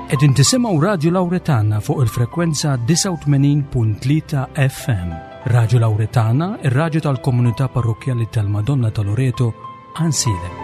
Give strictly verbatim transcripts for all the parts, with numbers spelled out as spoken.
Qegħdin tisimgħu Radio Lauretana fuq il-frekwenza disgħa u tmenin punt tlieta F M. Radio Lauretana, ir-raġu tal-komunità parrokjali tal-Madonna ta' Loreto, Għajnsielem.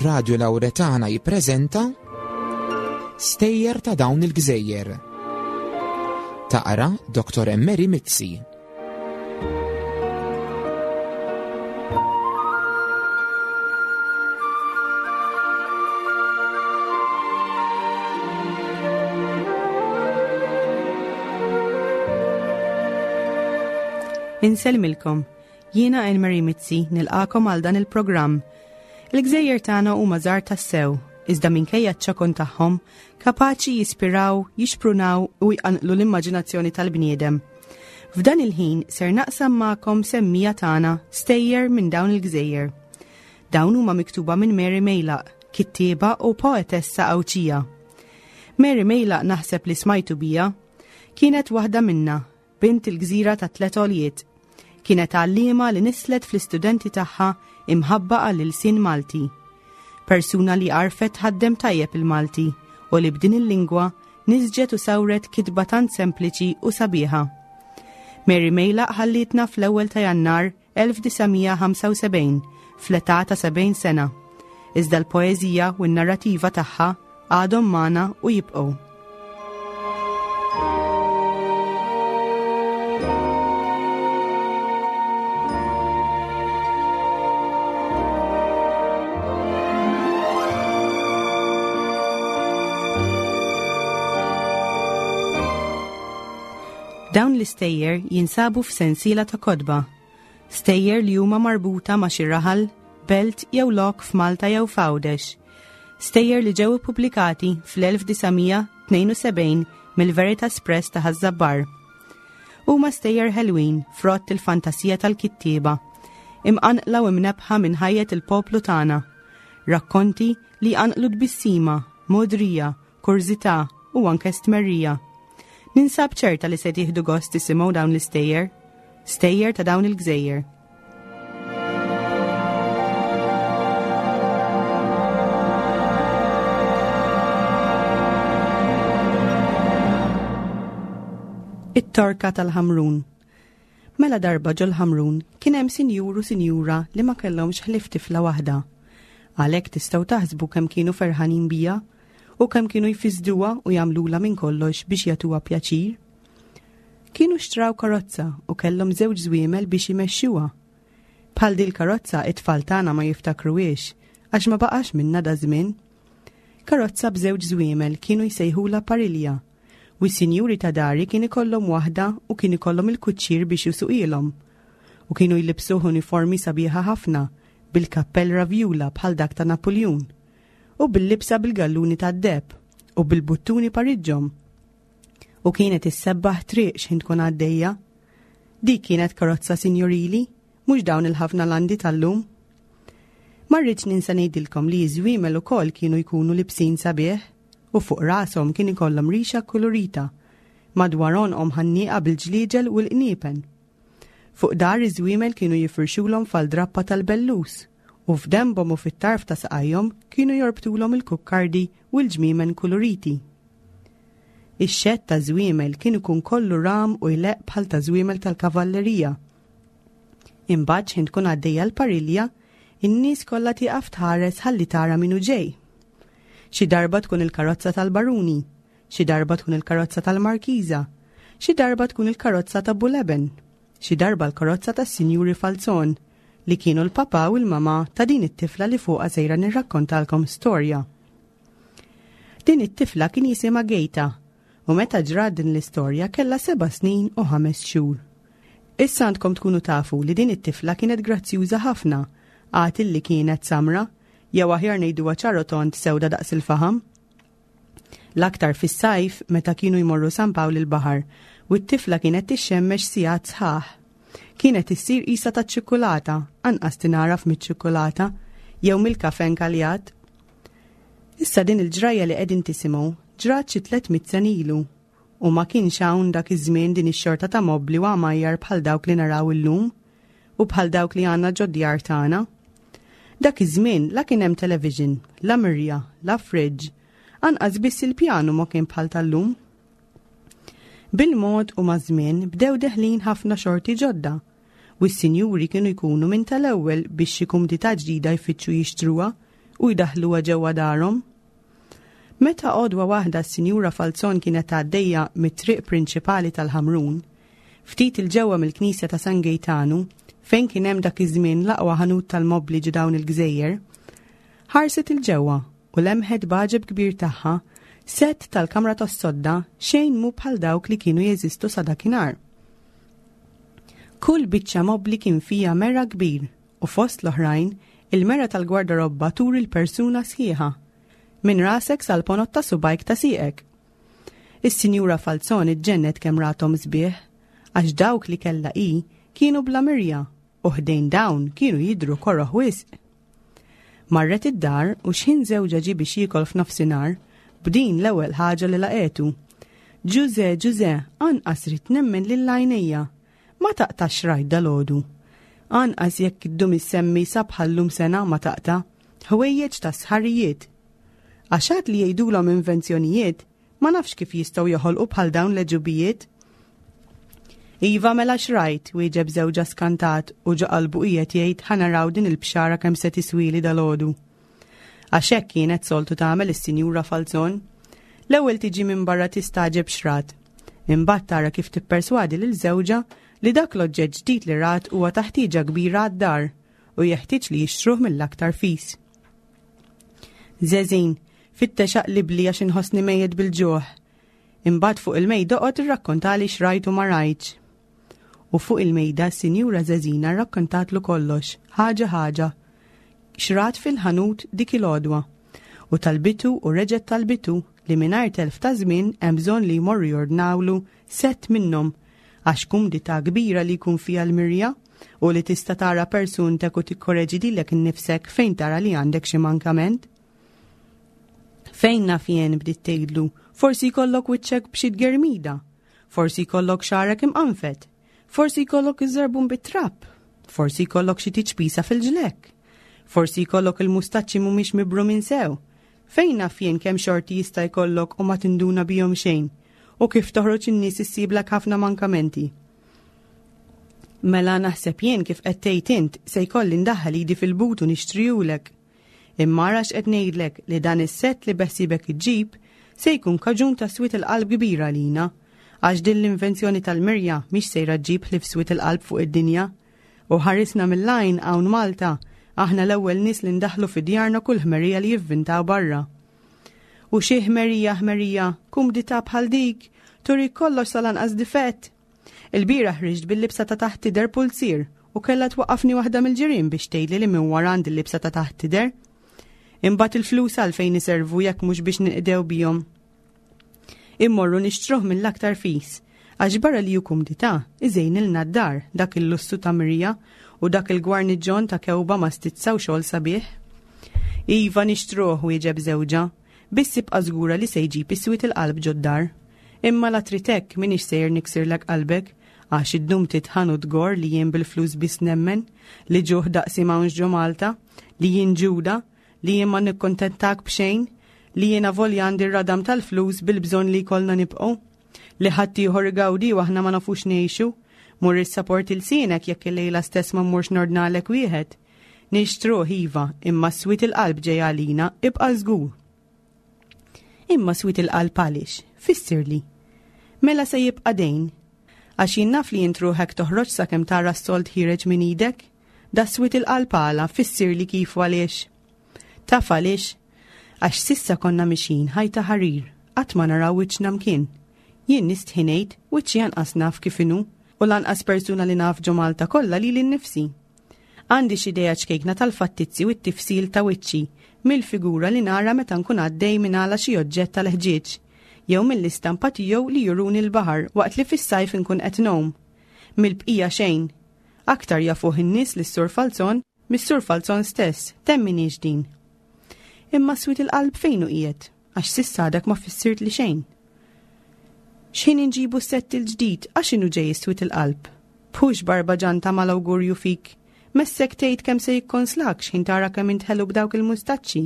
Radio Lauretana jippreżenta Stejjer ta' dawn il-gżejjer. Taqra Doktor Emmeri Mizzi. Insellmilkom, jiena Anne-Marie Mizzi nilqagħkom għal dan il-programm. Il-gżejjer tagħna huma żgħar tassew, iżda minkejja ċ-ċokon tagħhom kapaċi jispiraw, jixprunaw u jqanqlu l-immaġinazzjoni tal-bniedem. F'dan il-ħin ser naqsam magħkom semmija tagħna stejjer minn dawn il-gżejjer. Dawn huma miktuba minn Mary Mejlaq, kittieba u poetessa Għawdxija. Mary Mejlaq naħseb li smajtu bija, kienet waħda minna, bint il-gżira ta' tlet għoljiet. Kienet għallima li nislet fl-istudenti tagħha imħabba għall-ilsien Malti. Persuna li għarfet tħaddem tajjeb il-Malti u li b'din il-lingwa nisġet u sawret kitba tant sempliċi u sabiħa. Mary Mejlaq ħallitna fl-ewwel ta' Jannar elf disa' mija ħamsa u sebgħin fl-età ta' sebgħin sena. Iżda l-poeżija u n-narrativa tagħha għadhom magħna u jibqgħu. Dawn l-istejjer jinsabu f'sensiela ta' kotba. Stejjer li huma marbuta ma' xi raħal, belt jew lok f'Malta jew f'Għawdex. Stejjer li ġew ippubblikati fl-elf disa' mija tnejn u sebgħin mill-Veritas Press ta' Ħaż-Żabbar. Huma stejjer ħelwin frott il-fantasija tal-kittieba, imqanqla u imnebbħa minn ħajjet il-poplu tagħna. Rakkonti li jqanqlu tbissima, modrija, kurżità u anke stmerrija. Ninsab ċerta li se tieħdu gost tisimgħu dawn l-istejjer, stejjer ta' dawn il-gżejjer. It-Torka tal-Ħamrun. Mela darba ġol-Ħamrun kien hemm sinjur u sinjura li ma kellhomx ħlief tifla waħda. Għalhekk tistgħu taħsbu kemm kienu ferħanin bija u kemm kienu jfisduha u jagħmlula minn kollox biex jagħtuha pjaċir. Kienu xtraw karozza u kellhom żewġ żwiemel biex imexxuha. Bħal dil karozza it-tfal tagħna ma jiftakruhiex għax ma baqax minna da żmien. Karozza b'żewġ żwiemel kienu jsejħula parilja u s-sinjuri ta' dari kien ikollhom waħda u kien ikollhom il-kuċċir biex jusuqilhom. U kienu jlibsuh uniformi sabiħa ħafna bil-kappell ravjula bħal dak ta' Napoleon u bil-libsa bil-galluni tad-deheb u bil-buttuni pariġġhom. U kienet issebbaħ triq x'ħin tkun għaddejja. Dik kienet karozza sinjorili, mhux dawn il-ħafna landi tal-lum. Ma rridx ninsa ngħidilkom li ż-żwiemel ukoll kienu jkunu libsin sabiħ u fuq rashom kien ikollhom rixa kulurita, madwar għonqhom ħannieqa bil-ġliġel u l-qniepen. Fuq dahar iż-żwiemel kienu jifirxulhom fal-drappa tal-bellus u f'denbhom u fit-tarf ta' saqajhom kienu jorbtulhom il-kukkardi u l-ġmiemen kuluriti. Ix-xedd ta' żwiemel kien ikun kollu ram u jleqq bħal ta' żwiemel tal-kavallerija. Imbagħad x'ħin tkun għaddejja l-parilja, in-nies kollha tieqaf tħares ħalli tara min hu ġej. Xi darba tkun il-karozza tal-baruni, xi darba tkun il-karozza tal-markiża, xi darba tkun il-karozza ta' Buleben, xi darba l-karozza tas-Sinjuri Falzon, li kienu l-papa u l-mama ta' din it-tifla li fuqha sejra nirrakkontalkom storja. Din it-tifla kien jisimha Gejta u meta ġrat din l-istorja kellha seba' snin u ħames xhur. Issa għandkom tkunu tafu li din it-tifla kienet grazzjuża ħafna. Għad illi kienet samra, jew aħjar ngħiduha ċarotont sewda daqs il-faħam. L-aktar fis-sajf meta kienu jmorru San Pawl il-baħar u t-tifla kienet tixxemmex sigħat sħaħ. Kienet issir qisha taċ-ċikkulata, anqas tingħaraf miċ-ċikkulata jew mill-kafe nkaljat. Issa din il-ġrajja li qegħdin tisimgħu ġrat xi tliet mitt sena ilu u ma kienx hawn dak iż-żmien din ix-xorta ta' mobli u għamajjar bħal dawk li naraw illum u bħal dawk li għandna ġod-djar tagħna. Dak iż-żmien la kien hemm television, la mirja, la fridge, anqas biss il-pjanu ma kien bħal tal-lum. Bil-mod u maż-żmien bdew deħlin ħafna xorti ġodda u s-sinjuri kienu jkunu minn tal-ewwel biex xi kumdità ġdida jfittxu jixtruha u jdaħluha ġewwa darhom. Meta għodwa waħda s-Sinjura Falzon kienet għaddejja mit-triq prinċipali tal-Ħamrun, ftit 'il ġewwa mill-Knisja ta' San Gejtanu, fejn kien hemm dak iż-żmien l-aqwa ħanut tal-mobli ġo dawn il-gżejjer, ħarset 'il ġewwa u lemħet b'għaġeb kbir tagħha sett tal-kamra tas-sodda xejn mhu bħal dawk li kienu jeżistu sa dakinhar. Kull biċċa mobli kien fija mera kbir u fost l-oħrajn il-mera tal-gwardarobba turi l-persuna sħiħa, minn rasek sal-ponot ta' subgħajk ta' sieqek. Is-Sinjura Falzon iġġennet kemm rathom sbieħ, għax dawk li kellha hi kienu bla mirja u ħdejn dawn kienu jidru koroh wisq. Marret id-dar u xħin żewġha ġie biex jiekol f'nofsinhar, b'din l-ewwel ħaġa li laqgħetu. Ġuże, Ġuże, anqas ridt nemmen lil għajnejja. Ma taqtax rajt dalgħodu. Anqas jekk iddum issemmi sa bħallum sena ma taqta' ħwejjeġ ta' sħarijiet. Għax għad li jgħidulhom invenzjonijiet, ma nafx kif jistgħu joħolqu bħal dawn l-għeġubijiet. Iva mela x'rajt, wieġeb żewġha skantat u ġo qalbu qiegħed jgħid ħa naraw din il-bxara kemm se tiswili dalgħodu. Għax hekk kienet soltu tagħmel is-Sinjura Falzon. L-ewwel tiġi minn barra tistagħġeb x'rat. Imbagħad tara kif tipperswadi lil żewġha li dak l-oġġett ġdid li rat huwa ta' ħtieġa kbira għad-dar u jeħtieġ li jixtruh mill-aktar fis. Żeżin, fittex aqlibli għax inħossni mejjet bil-ġuħ. Imbagħad fuq il-mejda oqgħod irrakkontali x'rajt u ma rajtx. U fuq il-mejda s-Sinjura Żeżina rrakkontatlu kollox, ħaġa ħaġa, x'rat fil-ħanut dik il-għodwa. U talbitu u reġgħet talbitu li mingħajr telf ta' żmien hemm bżonn li jmorru jordnawlu sett minnhom għax kumdità kbira li jkun fiha l-mirja u li tista' tara persuntek u tikkoreġi lilek innifsek fejn tara li għandek xi mankament. Fejn naf jien bdiet tgħidlu, forsi jkollok wiċċek b'xi tgermida, forsi jkollok xagħrek imqanfed, forsi jkollok iż-żarbun bit-trab, forsi jkollok xi tiċpisa fil-ġlekk, forsi jkollok il-mustaċċi mhumiex mibrumin sew. Fejn naf jien kemm xorti jista' jkollok u ma tinduna bihom xejn, u kif toħroġ in-nies issiblek ħafna mankamenti. Mela naħseb jien kif qed tgħid int se jkolli ndaħħal idi fil-but u nixtrihulek. Imma ara x'qed ngħidlek li dan is-sett li beħsiebek iġġib se jkun kaġun ta' swied il-qalb kbira għalina, għax din l-invenzjoni tal-mirja mhix sejra ġġib ħlief swied il-qalb fuq id-dinja. U ħarisna mill-għajn hawn Malta, aħna l-ewwel nies li ndaħlu fi djarna kull ħmerija li jivvintaw barra. U xi ħmerija ħmerija, kumdità bħal dik, turi kollox sal-anqas difett. Il-bieraħ ħriġt bil-libsa ta' taħt tidher pulzier u kellha twaqqafni waħda mill-ġirien biex tgħidli li minn wara għandi l-libsa ta' taħt tidher. Imbagħad il-flus għalfejn iservu jekk mhux biex ninqdew bihom. Immorru nixtruh mill-aktar fis, għax barra li hu kumdità, iżejnilna d-dar dak il-lussu ta' mirja u dak il-gwarniġġon ta' kewba ma' stizza u xogħol sabiħ. Iva nixtruh, wieġeb żewġha, biss ibqa' żgura li se jġib is-swied il-qalb ġod-dar. Imma la trid hekk m'iniex sejjer niksirlek qalbek, għax iddum titħan u tgor li jien bil-flus biss nemmen, li ġuħ daqsi m'hawnx ġo Malta, li jien ġuda, li jien ma nikkontentak b'xejn, li jien avolja għandi r-radam tal-flus bil-bżonn li jkollna nibqgħu, li ħaddieħor igawdi u aħna ma nafux ngħixu, mur issaport ilsienek jekk il-lejla stess ma mmurx nordnalek wieħed. Nixtruh iva, imma swied il-qalb ġej għalina, ibqa' żgur. Imma swied il-qalb għaliex? Fissirli. Mela se jibqa' dejn. Għax jien naf li int ruħek toħroġ sakemm tara s-sold ħiereġ minn idek. Da swied il-qalb għala, fissirli kif u għaliex. Taf għaliex? Għax sissa konna mixin ħajta ħarir, qatt ma naraw wiċċna mkien. Jien nistħi ngħid wiċċi anqas naf kif inhu, u lanqas persuna li naf ġo Malta kollha lili nnifsi. Għandi xi idea ċkejkna tal-fattizzi u t-tifsil ta' wiċċi mill-figura li nara meta nkun għaddej minn għala xi oġġett tal-ħġieġ jew mill-istampa tiegħu li juruni l-baħar waqt li fis-sajf inkun qed ngħum. Mill-bqija xejn. Aktar jafuh in-nies lis-Sur Falzon mis-Sur Falzon stess, temminix din. Imma swied il-qalb fejn hu qiegħed, għax s'issa għadek ma fissirtli xejn. X'ħin inġibu s-sett il-ġdid għax inhu ġej swied il-qalb. B'hux barbaġan ta' mal-awgurju fik. Messek tgħid kemm se jikkonslak x'ħin tara kemm int ħelu b'dawk il-mustaċċi.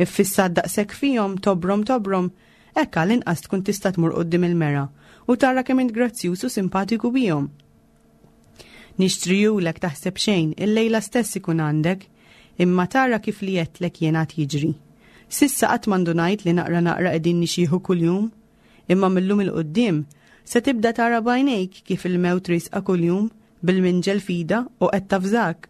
Iffissat daqshekk fihom tobrom tobrom, hekk għall-inqas tkun tista' tmur quddiem il-mera u tara kemm int grazzjuż u simpatiku bihom. Nixtrijulek taħseb xejn, il-lejla stess ikun għandek, imma tara kif li għedtlek jien għad jiġri. S'issa qatt m'indunajt li naqra naqra qegħdin nixjieħu kuljum, imma mil-lum 'il quddiem se tibda tara b'għajnejk kif il-mewt riesqa kuljum bil-minġel f'idha u qed tavżak.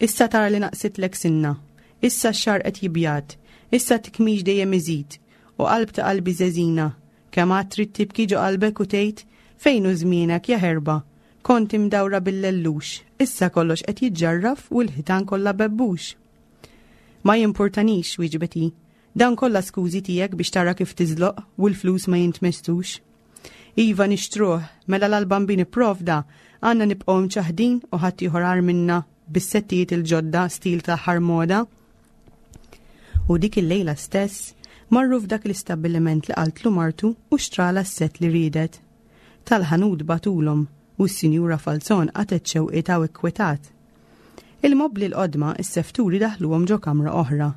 Issa tara li naqsitlek sinna, issa x-xagħar qed jibjad, issa tikmix dejjem iżid, u qalb ta' qalbi żeżina, kemm għad trid tibki ġo qalbek u tgħid fejn hu żmienek ja ħerba, kont imdawra bil-lellux, issa kollox qed jiġġarraf u l-ħitan kollha bebbux. Ma jimpurtanix, wieġbet hi, dan kollha skużi tiegħek biex tara kif tiżloq u l-flus ma jintmessux. Iva nixtruh, mela l-Bambin ipprovda, għandna nibqgħu mċaħdin u ħadd ieħor agħar minna bis-settijiet il-ġodda stil ta' moda. U dik il-lejla stess marru f'dak l-istabbiliment li qaltlu martu u xtrala s-set li riedet. Tal-ħanut bagħtulhom u s-Sinjura Falzon qatgħet xewqitha u ikkwetat. Il-mobli l-qodma is-sefturi daħluhom ġo kamra oħra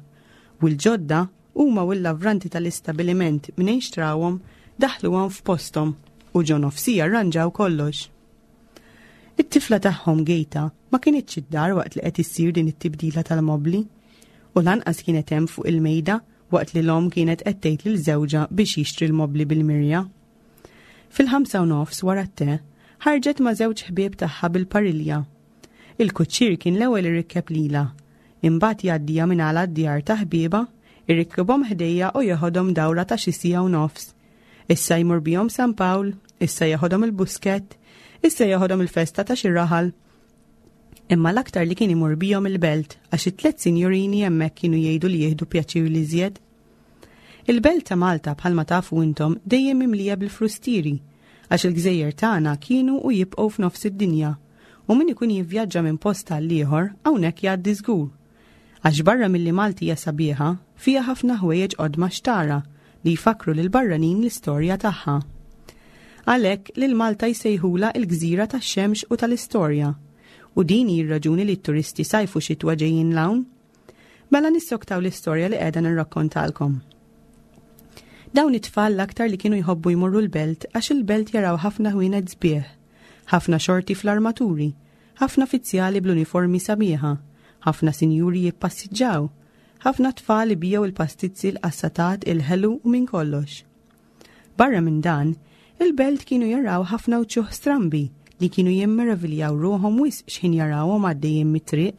u l-ġodda huma u l-lavranti tal-istabiliment minn xtrawhom daħluhom f'posthom u ġo nofsija rranġaw kollox. It-tifla tagħhom Gejta ma kinitx id-dar waqt li qed issir din it-tibdila tal-mobli u lanqas kienet hemm fuq il-mejda waqt li l-omm kienet qed tgħid lil żewġha biex jixtri l-mobli bil-mirja. Fil-ħamsa u nofs wara t-te, ħarġet ma' żewġ ħbieb tagħha bil-parilja. Il-kuċċier kien l-ewwel irikkeb lilha, imbagħad jgħaddija minn għala d-djar ta' ħbieba, irikkibhom ħdejja u jeħodhom dawra ta' xi siegħa u nofs. Issa jmur bihom San Pawl, issa jeħodhom il-Buskett, issa jeħodhom il-festa ta' xi raħal. Imma l-aktar li kien imur bihom il-belt għax it-tliet sinjorini hemmhekk kienu jgħidu li jieħdu pjaċir l-iżjed. Il-belt ta' Malta bħalma tafu intom dejjem mimlija bil-frustieri għax il-gżejjer tagħna kienu u jibqgħu f'nofs id-dinja u min ikun jivvjaġġa minn post għal ieħor hawnhekk jgħaddi żgur. Għax barra milli Malti hija sabiħa, fiha ħafna ħwejjeġ qodma xtara li jfakru lil barranin l-istorja tagħha. Għalhekk lil Malta jsejħula il-gżira tax-xemx u tal-istorja. U din hi r-raġuni li t-turisti sajfu xitwa ġejjin 'l hawn. Mela nissoktaw l-istorja li qiegħda nirrakkontalkom. Dawn it-tfal l-aktar li kienu jħobbu jmorru l-belt għax il-belt jaraw ħafna ħwienet sbieħ, ħafna xorti fl-armaturi, ħafna fizzjali bl-uniformi sabiħa, ħafna sinjuri jippassiġġaw, ħafna tfal ibiegħu il-pastizzi l-qassatat, il-ħelu u minn kollox. Barra minn dan, il-belt kienu jaraw ħafna uċuħ strambi li kienu jimmeraviljaw ruħhom wisq x'ħin jarawhom għaddejjin mit-triq.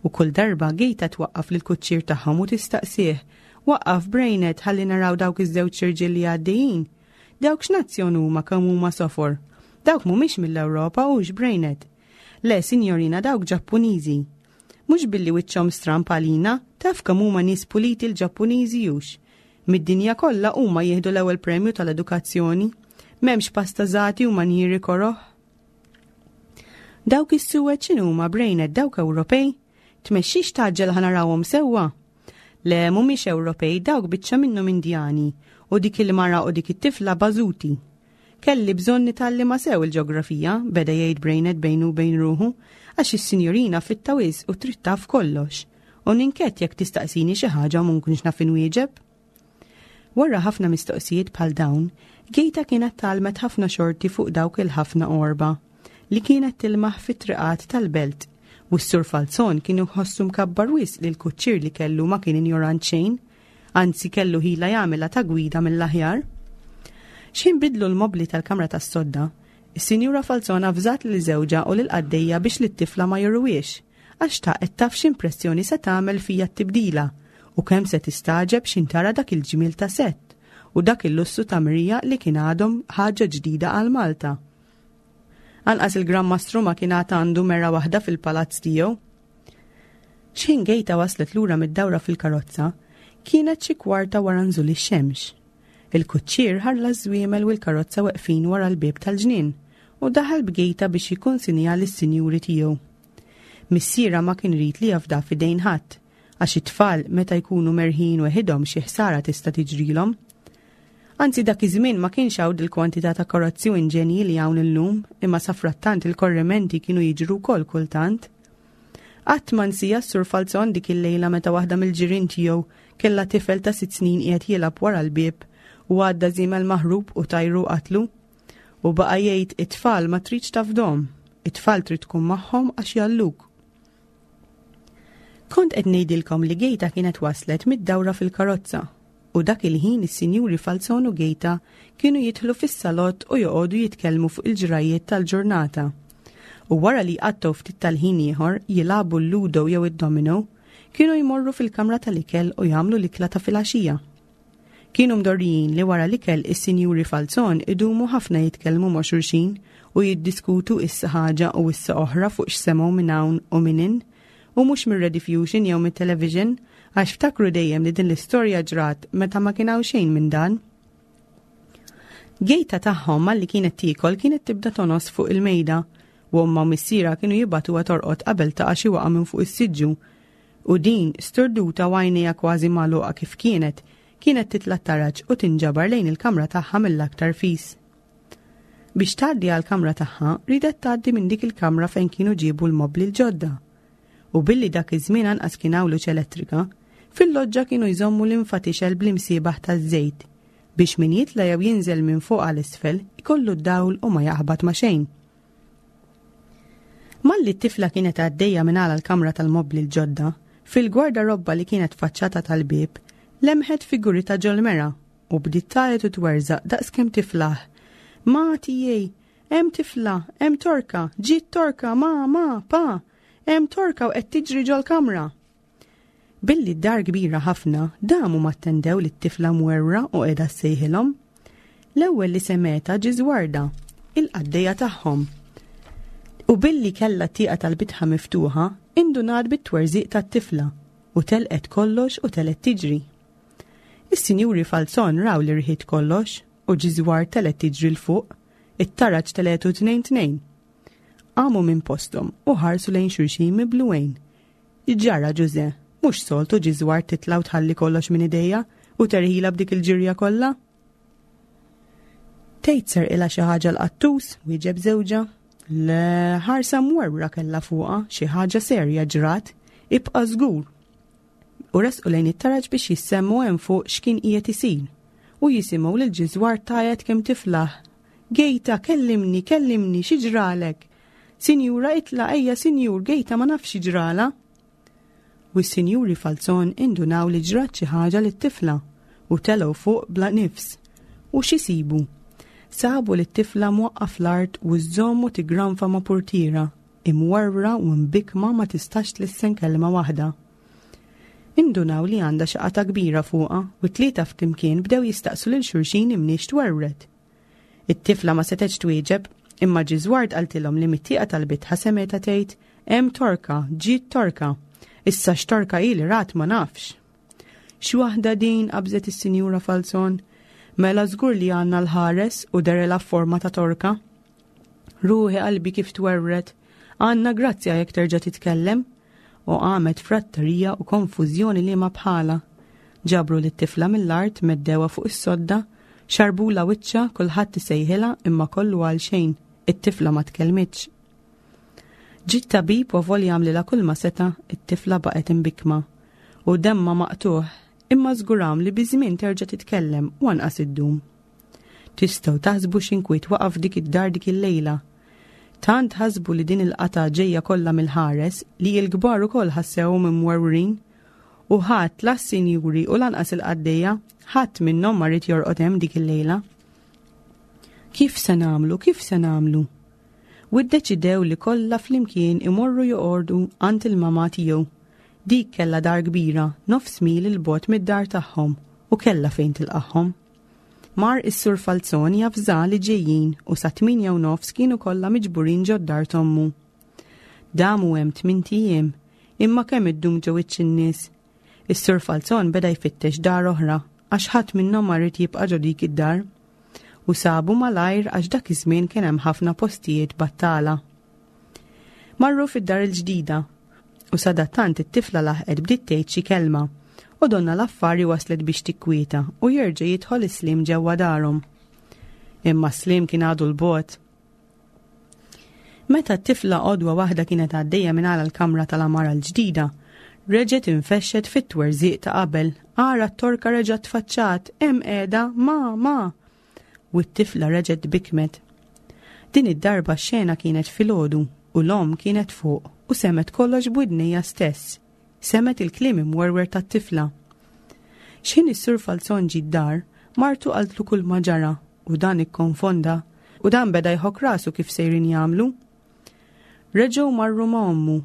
U kull darba Gejta twaqqaf lil kuċċier tagħhom u tistaqsih, waqqaf Brejnet ħalli naraw dawk iż-żewġ irġiel li għaddejjin. Dawk x'nazzjon huma kemm huma sofor. Dawk mhumiex mill-Ewropa hux Brejnet. Le, sinjorina, dawk Ġappuniżi. Mhux billi wiċċhom stramb għalina, taf kemm huma nies puliti l-Ġappuniżi hux. Mid-dinja kollha huma jieħdu l-ewwel premju tal-edukazzjoni. M'hemmx pastażati u manjieri koroh. Dawk is-suwed x'inhuma Brejnet dawk Ewropej? Tmexxix tgħaġġel ħa narawhom sewwa? Le mhumiex Ewropej dawk biċċa minnhom Indjani u dik il-mara u dik it-tifla bażuti. Kelli bżonn nitgħallimha sew il-ġeografija, beda jgħid Brejnet bejnu u bejn ruħu, għax is-sinjorina fitta wisq u trid taf kollox. U ninkwieta jekk tistaqsini xi ħaġa u ma nkunx naf inwieġeb. Wara ħafna mistoqsijiet bħal dawn, Gejta kienet tgħallmet ħafna xorti fuq dawk il-ħafna għorba li kienet tilmaħ fit-triqat tal-belt u s-Sur Falzon kien iħossu mkabbar wisq li l-kuċċier li kellu ma kien injorant xejn, anzi kellu ħila jagħmilha ta' gwida mill-aħjar. X'ħin bidlu l-mobli tal-kamra tas-sodda, is-Sinjura Falzon avżat lil żewġha u lil qaddejja biex lit-tifla ma juruhiex, għax xtaqet taf x'impressjoni se tagħmel fija t-tibdila u kemm se tistagħġeb x'ħin tara dak il-ġmiel ta' sett u dak il-lussu ta' mrija li kien għadhom ħaġa ġdida għal Malta. Anqas il-Gran Mastru ma kien għad għandu mera waħda fil-palazz tiegħu. X'ħin Gejta waslet lura mid-dawra fil-karozza, kienet xi kwarta wara nżul ix-xemx. Il-kuċċier ħalla ż-żwiemel u l-karozza weqfin wara l-bieb tal-ġnien u daħal b'Gejta biex jikkunsinja lis-sinjuri tiegħu. Missierha ma kien irid li jafda f'idejn ħadd, għax it-tfal meta jkunu merħin weħidhom xi ħsara tista' tiġrilhom. Anzi dak iż-żmien ma kienx hawn il-kwantità ta' karozzi u inġenji li hawn illum, imma safrattant il-korrimenti kienu jiġru wkoll kultant. Qatt ma nsija s-Sur Falzon dik il-lejla meta waħda mill-ġirien tiegħu kellha tifel ta' sitt snin qiegħed jilgħab wara l-bieb u għadda żiemel maħrub u tajru qatlu. U baqa' jgħid it-tfal ma tridx tafdhom, it-tfal trid tkun magħhom għax jalluk. Kont qed ngħidilkom li Gejta kienet waslet mid-dawra fil-karozza u dak il-ħin is-sinjuri Falzon u Gejta kienu jidħlu fis-salott u joqogħdu jitkellmu fuq il-ġrajiet tal-ġurnata. U wara li jqattgħu ftit tal-ħin ieħor jilagħbu l-ludo jew id-domino, kienu jmorru fil-kamra tal-ikel u jagħmlu l-ikla ta' filgħaxija. Kienu mdorrijin li wara l-ikel is-sinjuri Falzon idumu ħafna jitkellmu ma' xulxin u jiddiskutu issa ħaġa u issa oħra fuq x'semgħu minn hawn u minn hinn, u mhux mir-Rediffusion jew mit-television, għax ftakru dejjem li din l-istorja ġrat meta ma kien hawn xejn minn dan. Gejta tagħhom malli kienet tiekol kienet tibda tonos fuq il-mejda u ommha u missierha kienu jibagħtuha torqod qabel taqa' xi waqa' minn fuq is-siġġu. U din sturduta u għajnejha kważi magħluqa kif kienet, kienet titla' taraġ u tinġabar lejn il-kamra tagħha mill-aktar fis. Biex tgħaddi għall-kamra tagħha, ridet tgħaddi minn dik il-kamra fejn kienu ġiebu l-mobli l-ġodda. U billi dak iż-żmien anqas kien hawn luċ elettrika, fil-loġġa kienu jżommu l-infatixel bl-imsiebaħ taż-żejt biex min jitla' jew jinżel minn fuq għal isfel ikollu d-dawl u ma jaħbat ma' xejn. Malli t-tifla kienet għaddejja minn għala l-kamra tal-mobli l-ġodda, fil-gwardarobba li kienet faċċata tal-bieb, lemħet figuri ta' ġol-mera u bdiet tgħajjat u twerżaq daqskemm tiflaħ. Ma tiegħi, hemm tifla, hemm torka, ġiet torka, ma, ma, pa, hemm torka u qed tiġri ġol-kamra. Billi d-dar kbira ħafna, damu ma attendew li t-tifla mwerwra u qiegħda ssejħilhom. L-ewwel li semgħetha Ġiżwarda, il-qaddejja tagħhom. U billi kellha t-tieqa tal-bitħa miftuħa, indunat bit-twerżiq tat-tifla u telqet kollox u telqet tiġri. Is-sinjuri Falzon raw li rħiet kollox u Ġiżwar telqet tiġri 'l fuq, it-taraġ telgħetu tnejn tnejn. Qamu minn posthom u ħarsu lejn xulxin mibluwejn. Ġara Ġuże, mhux soltu Ġiżwar titla' u tħalli kollox minn idejja u terħila b'dik il-ġirja kollha. Tgħid serqilha xi ħaġa l-qattus, wieġeb żewġha. Le, ħarsa mwerwra kellha fuqha, xi ħaġa serja ġrat, ibqa' żgur. U resqu lejn it-taraġ biex jissemmu hemm fuq x'kien qiegħed isir. U jisimgħu lil Ġiżwar tgħajjat kemm tiflaħ. Gejta, kellimni, kellimni, xi ġralek? Sinjura itla' ejja sinjur, Gejta ma nafx xi ġrala. U s-sinjuri Falzon indunaw li ġrat xi ħaġa lit-tifla u telgħu fuq bla nifs. U x'isibu? Sabu li t-tifla mwaqqa fl-art u żżomm u tigranfa ma' purtiera, imwerwra u mbikma ma tistax tlissen kelma waħda. Indunaw li għandha xi qatgħa kbira fuqha u t-tlieta flimkien bdew jistaqsu lil xulxin imniex twerwret. It-tifla ma setgħetx twieġeb, imma Ġiżward qaltilhom li mit-tieqa tal-bitħa semgħetha tgħid hemm torka, ġiet torka. Issa x'torka hi li rat ma nafx. X'waħda din, qabżet is-Sinjura Falzon. Mela żgur li għandna l-ħares u derela forma ta' torka. Ruħi qalbi kif twerwret, għandna grazzja jekk terġa' titkellem. U qamet frattarija u konfużjoni li ma bħala. Ġabru lit-tifla mill-art, meddewha fuq is-sodda, xarbula wiċċha, kulħadd isejħilha imma kollu għal xejn, it-tifla ma tkellmitx. Ġiet tabib u avolja għamlilha kull ma seta', it-tifla baqgħet imbikma u demma maqtuħ, imma żguram li biż-żmien terġa' titkellem u anqas iddum. Tistgħu taħsbu x'inkwiet waqaf dik id-dar dik il-lejla. Tant ħasbu li din il-qatgħa ġejja kollha mill-ħares li l-kbar ukoll ħassewhom imwerwrin u ħadd la s-sinjuri u lanqas il-qaddejja ħadd minnhom ma ried jorqod hemm dik il-lejla. Kif se nagħmlu, kif se nagħmlu? U ddeċidew li kollha flimkien imorru joqordu għand il-mama tiegħu. Dik kellha dar kbira, nofs mil il-bogħod mid-dar tagħhom u kellha fejn tilqagħhom. Mar is-Sur Falzon javża li ġejjin u sa tmienja u nofs kienu kollha miġburin ġod-dar t'ommu. Damu hemm tmint ijiem, imma kemm iddum ġo wiċċ in-nies. Is-Sur Falzon beda jfittex dar oħra għax ħadd minnhom ma ried jibqa' ġo dik id-dar. U sabu malajr għax dak iż-żmien kien hemm ħafna postijiet battala. Marru fid-dar il-ġdida u sadattant it-tifla laħqet bdiet tgħid xi kelma u donna l-affari waslet biex tikkwieta u jerġa' jidħol is-sliem ġewwa darhom. Imma s-sliem kien għadu 'l bogħod. Meta t-tifla għodwa waħda kienet għaddejja minn għala l-kamra tal-għamara l-ġdida, reġgħet infexxet fit-twerżiq ta' qabel, ara t-torka reġgħet tfaċċat, hemm qiegħda, ma, ma. U t-tifla reġgħet bikmet. Din id-darba x-xena kienet filgħodu u l-omm kienet fuq u semgħet kollox b'widnejha stess. Semgħet il-kliem imwerwer tat-tifla. X'ħin is-Sur Falzon ġie d-dar, martu qaltlu kull ma ġara u dan ikkonfonda u dan beda jħokk rasu kif sejrin jagħmlu. Reġgħu marru ma' ommu,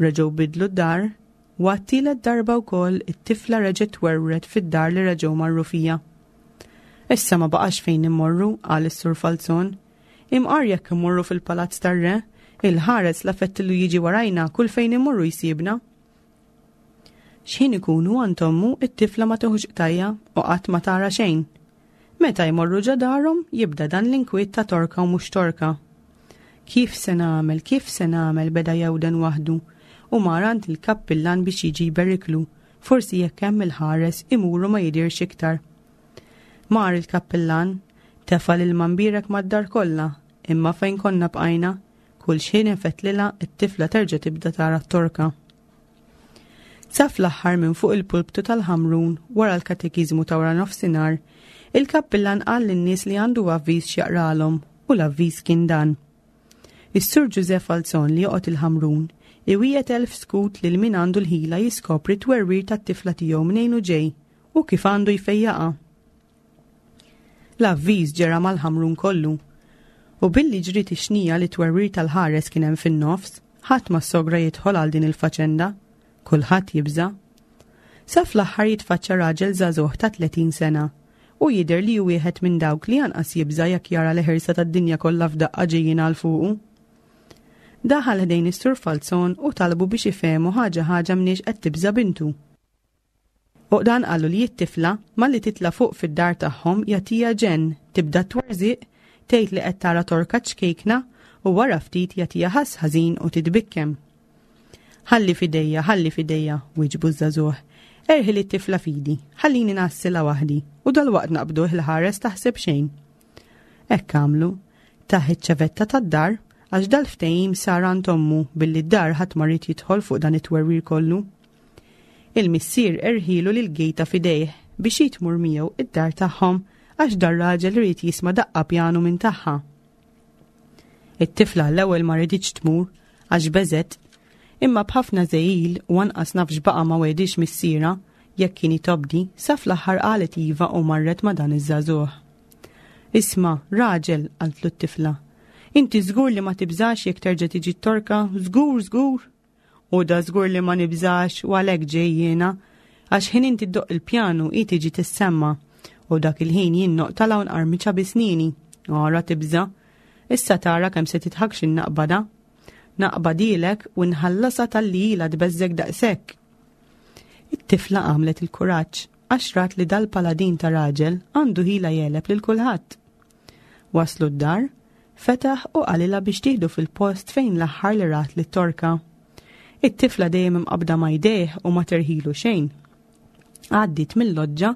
reġgħu bidlu d-dar, u għat-tielet darba wkoll it-tifla reġgħet twerwret fid-dar li reġgħu marru fija. Issa ma baqax fejn immorru, qal is-Sur Falzon. Imqar jekk immorru fil-palazz tar-re, il-ħares la fettillu jiġi warajna kull fejn immorru jsibna. X'ħin ikunu għand ommu, it-tifla ma tieħux qtajja u qatt ma tara xejn. Meta jmorru ġo darhom, jibda dan l-inkwiet ta' torka u mhux torka. Kif se nagħmel, kif se nagħmel, beda jewden waħdu u mar għand il-kappillan biex jiġi jberiklu, forsi jekk hemm il-ħares imuru ma jidirx iktar. Mar il-kappillan, tefa' l-ilma mbierek mad-dar kollha, imma fejn konna bqajna, kull xħin infettlilha it-tifla terġa' tibda tara t-torka. Sa fl-aħħar minn fuq il-pulptu tal-Ħamrun wara l-katekiżmu ta' wara nofsinhar, il-kappillan qal lin-nies li għandu avviż x'jaqralhom u l-avviż kien dan. Is-Sur Ġużeff Falzon li joqgħod il-Ħamrun iwiegħed elf skut lil min għandu l-ħila jiskopri t-twerwir tat-tifla tiegħu mnejn u ġej u kif għandu jfejjaqha. L-avviż ġera mal-Ħamrun kollu. U billi ġriet ix-xnija li twerwir tal-ħares kien hemm fin-nofs, ħadd ma sogra jidħol għal din il-faċenda. Kulħadd jibża'. Sa fl-aħħar jitfaċċa raġel żagħżugħ ta' tletin sena u jidher li hu wieħed minn dawk li anqas jibża' jekk jara l-ħirsa tad-dinja kollha f'daqqa ġejjin għal fuqu. Daħal ħdejn is-Sur Falzon u talbu biex ifehmu ħaġa ħaġa mniex qed tibża' bintu. U dan qalu li t-tifla malli titla' fuq fid-dar tagħhom jagħtiha ġenn, tibda twerżiq, tgħid li qed tara torka ċkejkna u wara ftit jagħtiha ħass ħażin u titbikkem. Ħalli fidejja, ħalli fidejja, wieġbu ż-żagħżugħ. Erħi li t-tifla fidi, ħallini ngħassilha waħdi u dalwaqt naqbduh il-ħares taħseb xejn. Hekk għamlu, tah iċ-ċavetta tad-dar għax dal-ftehim sar għand ommu billi d-dar ħadd ma ried jidħol fuq dan it-twerwir kollu. Il-missier erħilu lil gejta fidejh biex jitmur miegħu id-dar tagħhom għax dar raġel ried jisma' daqqa pjanu minn tagħha. It-tifla l-ewwel ma riditx tmur għax beżet, imma b'ħafna żegħil u anqas naf x'baqa' ma wedix missiera jekk kien jitobdi, sa fl-aħħar qalet iva u marret ma' dan iż-żagħżugħ. Isma', raġel, qaltlu t-tifla, inti żgur li ma tibżax jekk terġa' tiġi t-torka, żgur, żgur. U da żgur li ma nibżax u għalhekk ġej jiena, għax ħin inti ddoqq il-pjanu hi tiġi tissemma u dak il-ħin jien noqtala u nqarmiċha bi snini. Ora tibża', issa tara kemm se titħakx in-naqbada. Naqbadilek u nħallasha talli ilha tbeżżek daqshekk. It-tifla għamlet il-kuraġġ għax rat li dal-paladin ta' raġel għandu ħila jeleb lil kulħadd. Waslu d-dar, fetaħ u qalilha biex tieħdu fil-post fejn l-aħħar li rat lit-torka. It-tifla dejjem imqabda ma' jdejh u ma terħilu xejn. Għaddiet mill-loġġa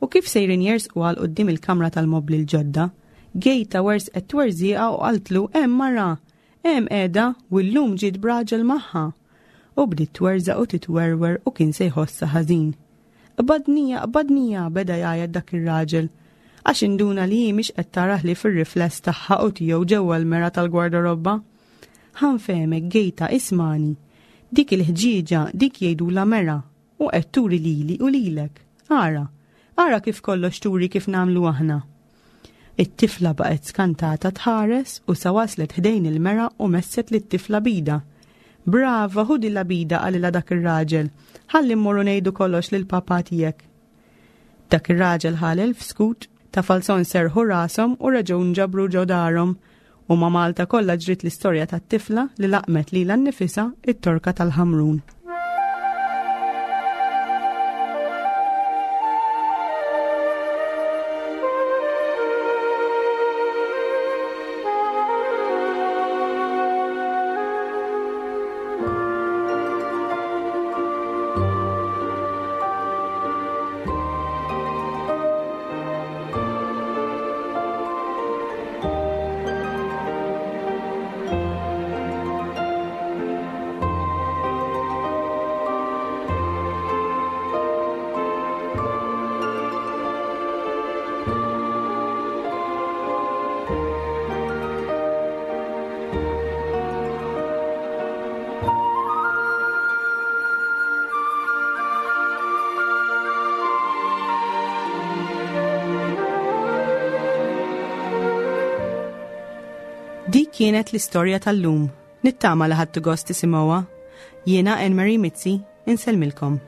u kif sejrin jersqu għal quddiem il-kamra tal-mobli l-ġodda, gejta wersqet twerżieqa u qaltlu hemm mara, hemm qiegħda u llum ġiet b'raġel magħha. U bdiet twerżaq u titwerwer u kien se jħossha ħażin. Qbadnija, qbadnija, beda jgħajjat dak ir-raġel, għax induna li hi mhix qed tara ħlief ir-rifless tagħha u tiegħu ġewwa l-mera tal-gwardarobba. Ħa nfehmek gejta ismani, dik il-ħġieġa dik jgħidulha mera u qed turi lili u lilek. Ara, ara kif kollox turi kif nagħmlu aħna. It-tifla baqgħet skantata tħares u sa waslet ħdejn il-mera u messet lit-tifla bida. Brava, ħudi la bida, qalilha dak ir-raġel. Ħalli mmorru ngħidu kollox lil papà tiegħek. Dak ir-raġel ħa elf skut, Ta' Falzon serħu rashom u reġgħu nġabru ġo darhom u ma' Malta kollha ġriet l-istorja tat-tifla li laqmet lilha nnifisha it-torka tal-Ħamrun. Dik kienet l-istorja tal-lum. Nittama li ħadtu gost tisimgħuha. Jiena Anne Marie Mizzi, insellmilkom.